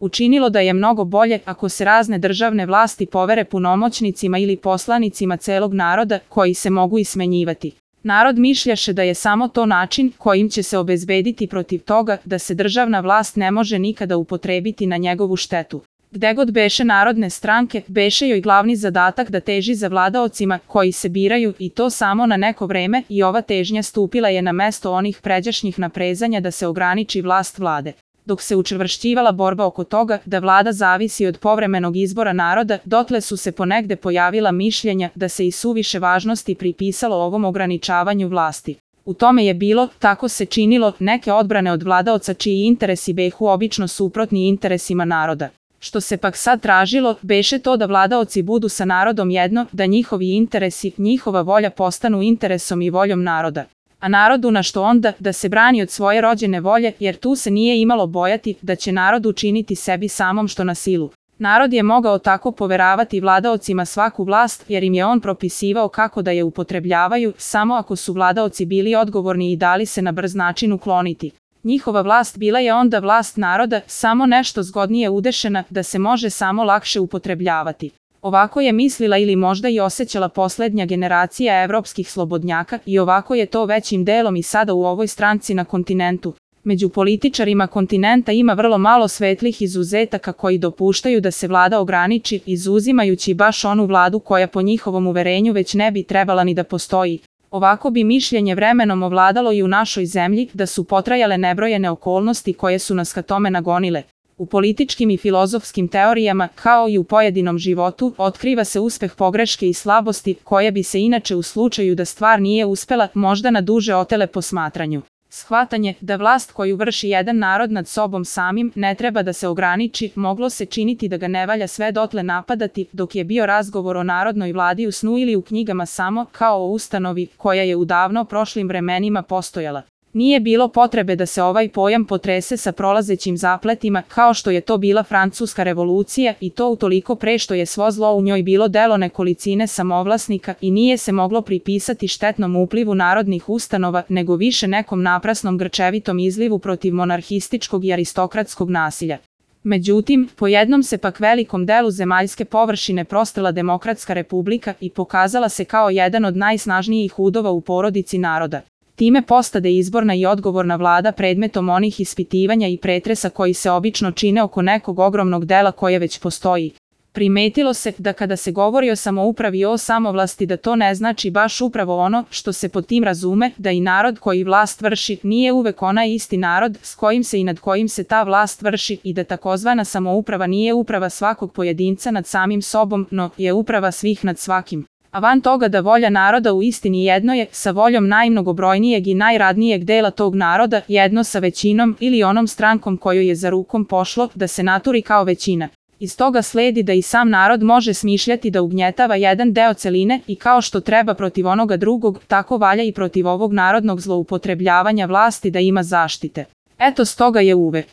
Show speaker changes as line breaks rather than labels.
učinilo da je mnogo bolje ako se razne državne vlasti povere punomoćnicima ili poslanicima celog naroda koji se mogu i smenjivati. Narod mišljaše da je samo to način kojim će se obezbediti protiv toga da se državna vlast ne može nikada upotrebiti na njegovu štetu. Gde god beše narodne stranke, beše joj glavni zadatak da teži za vladaocima koji se biraju i to samo na neko vreme i ova težnja stupila je na mesto onih pređašnjih naprezanja da se ograniči vlast vlade. Dok se učvršćivala borba oko toga da vlada zavisi od povremenog izbora naroda, dotle su se ponegde pojavila mišljenja da se i suviše važnosti pripisalo ovom ograničavanju vlasti. U tome je bilo, tako se činilo, neke odbrane od vladaoca čiji interesi behu obično suprotni interesima naroda. Što se pak sad tražilo, beše to da vladaoci budu sa narodom jedno, da njihovi interesi, njihova volja postanu interesom i voljom naroda. A narodu na što onda da se brani od svoje rođene volje, jer tu se nije imalo bojati da će narod učiniti sebi samom što na silu. Narod je mogao tako poveravati vladaocima svaku vlast, jer im je on propisivao kako da je upotrebljavaju, samo ako su vladaoci bili odgovorni i dali se na brz način ukloniti. Njihova vlast bila je onda vlast naroda, samo nešto zgodnije udešena da se može samo lakše upotrebljavati. Ovako je mislila ili možda i osjećala poslednja generacija evropskih slobodnjaka i ovako je to većim delom i sada u ovoj stranci na kontinentu. Među političarima kontinenta ima vrlo malo svetlih izuzetaka koji dopuštaju da se vlada ograniči, izuzimajući baš onu vladu koja po njihovom uverenju već ne bi trebala ni da postoji. Ovako bi mišljenje vremenom ovladalo i u našoj zemlji da su potrajale nebrojene okolnosti koje su nas ka tome nagonile. U političkim i filozofskim teorijama, kao i u pojedinom životu, otkriva se uspeh pogreške i slabosti, koje bi se inače u slučaju da stvar nije uspela, možda na duže otele posmatranju. Shvatanje da vlast koju vrši jedan narod nad sobom samim ne treba da se ograniči, moglo se činiti da ga ne valja sve dotle napadati, dok je bio razgovor o narodnoj vladi u snu ili u knjigama samo, kao o ustanovi, koja je u davno prošlim vremenima postojala. Nije bilo potrebe da se ovaj pojam potrese sa prolazećim zapletima, kao što je to bila Francuska revolucija i to utoliko pre što je svo zlo u njoj bilo delo nekolicine samovlasnika i nije se moglo pripisati štetnom uplivu narodnih ustanova, nego više nekom naprasnom grčevitom izlivu protiv monarhističkog i aristokratskog nasilja. Međutim, po jednom se pak velikom delu zemaljske površine prostrla demokratska republika i pokazala se kao jedan od najsnažnijih udova u porodici naroda. Time postade izborna i odgovorna vlada predmetom onih ispitivanja i pretresa koji se obično čine oko nekog ogromnog dela koje već postoji. Primetilo se da kada se govori o samoupravi i o samovlasti da to ne znači baš upravo ono što se pod tim razume, da i narod koji vlast vrši nije uvek onaj isti narod s kojim se i nad kojim se ta vlast vrši i da takozvana samouprava nije uprava svakog pojedinca nad samim sobom, no je uprava svih nad svakim. A van toga da volja naroda u istini jedno je sa voljom najmnogobrojnijeg i najradnijeg dela tog naroda, jedno sa većinom ili onom strankom kojoj je za rukom pošlo da se naturi kao većina. Iz toga sledi da i sam narod može smišljati da ugnjetava jedan deo celine i kao što treba protiv onoga drugog, tako valja i protiv ovog narodnog zloupotrebljavanja vlasti da ima zaštite. Eto stoga je uvek